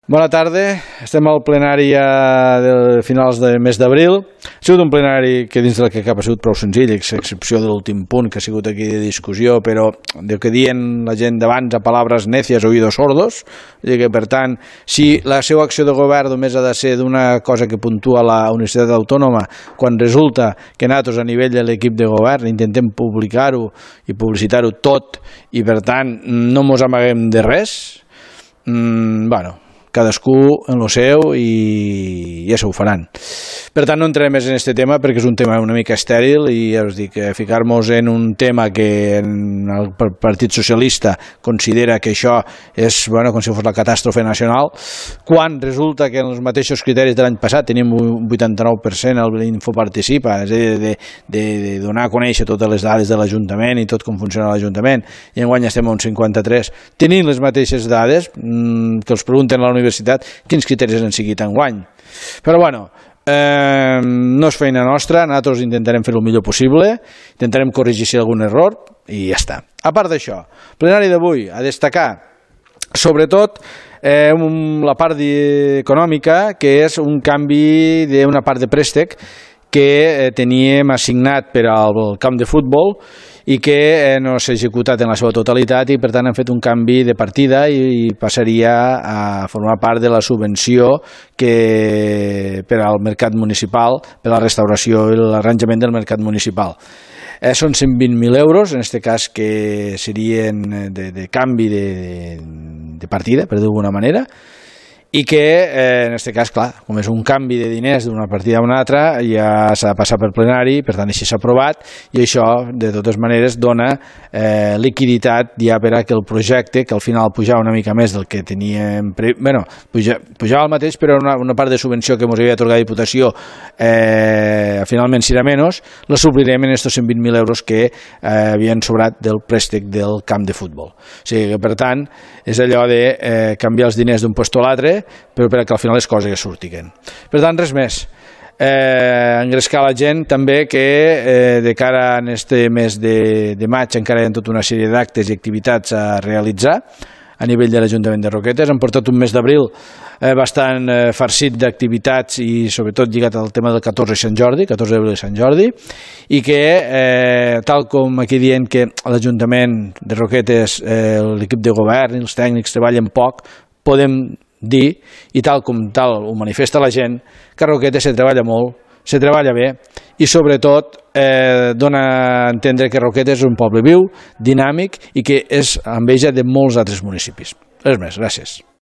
Bona tarda, estem al plenari de finals del mes d'abril. Ha sigut un plenari que dins del que cap ha sigut prou senzill, a excepció de l'últim punt que ha sigut aquí de discussió, però del que diuen la gent d'abans a palabras necias, oídos sordos, i que per tant, si la seva acció de govern només ha de ser d'una cosa que puntua la Universitat Autònoma, quan resulta que nosaltres a nivell de l'equip de govern intentem publicar-ho i publicitar-ho tot i per tant no mos amaguem de res, bueno, cadascú en lo seu i ja s'ho faran. Per tant, no entraré més en aquest tema perquè és un tema una mica estèril i ja us dic, ficar-nos en un tema que el Partit Socialista considera que això és com si fos la catàstrofe nacional, quan resulta que en els mateixos criteris de l'any passat tenim un 89% el Infoparticipa, és a dir, de donar a conèixer totes les dades de l'Ajuntament i tot com funciona l'Ajuntament, i enguany estem a un 53%, tenint les mateixes dades que els pregunten a la universitat quins criteris han seguit enguany. Però bueno, no és feina nostra, nosaltres intentarem fer el millor possible, intentarem corregir si hi ha algun error i ja està. A part d'això, el plenari d'avui a destacar sobretot la part econòmica, que és un canvi d'una part de préstec que teníem assignat per al camp de futbol i que no s'ha executat en la seva totalitat i per tant han fet un canvi de partida i passaria a formar part de la subvenció que per al mercat municipal, per a la restauració i l'arranjament del mercat municipal. Són 120.000 euros, en aquest cas que serien de canvi de partida, per dir-ho d'alguna manera, i que en aquest cas, clar, com és un canvi de diners d'una partida a una altra, ja s'ha de passar per plenari, per tant així s'ha aprovat i això de totes maneres dona liquiditat ja per a que el projecte, que al final pujava una mica més del que teníem, pujava el mateix però una part de subvenció que ens havia atorgat la Diputació finalment serà menys, la suplirem en aquests 120.000 euros que havien sobrat del préstec del camp de futbol. O sigui que per tant és allò de canviar els diners d'un lloc a l'altre però perquè al final les coses ja surtiguen. Per tant, res més. Engrescar la gent també que de cara a aquest mes de maig encara hi ha tota una sèrie d'actes i activitats a realitzar a nivell de l'Ajuntament de Roquetes. Hem portat un mes d'abril bastant farcit d'activitats i sobretot lligat al tema del 14 de Sant Jordi, 14 d'abril de Sant Jordi, i que tal com aquí dient que l'Ajuntament de Roquetes, l'equip de govern i els tècnics treballen poc, podem dir, i tal com tal ho manifesta la gent, que a Roquetes se treballa molt, se treballa bé i sobretot dona a entendre que Roquetes és un poble viu, dinàmic i que és enveja de molts altres municipis. Res més, gràcies.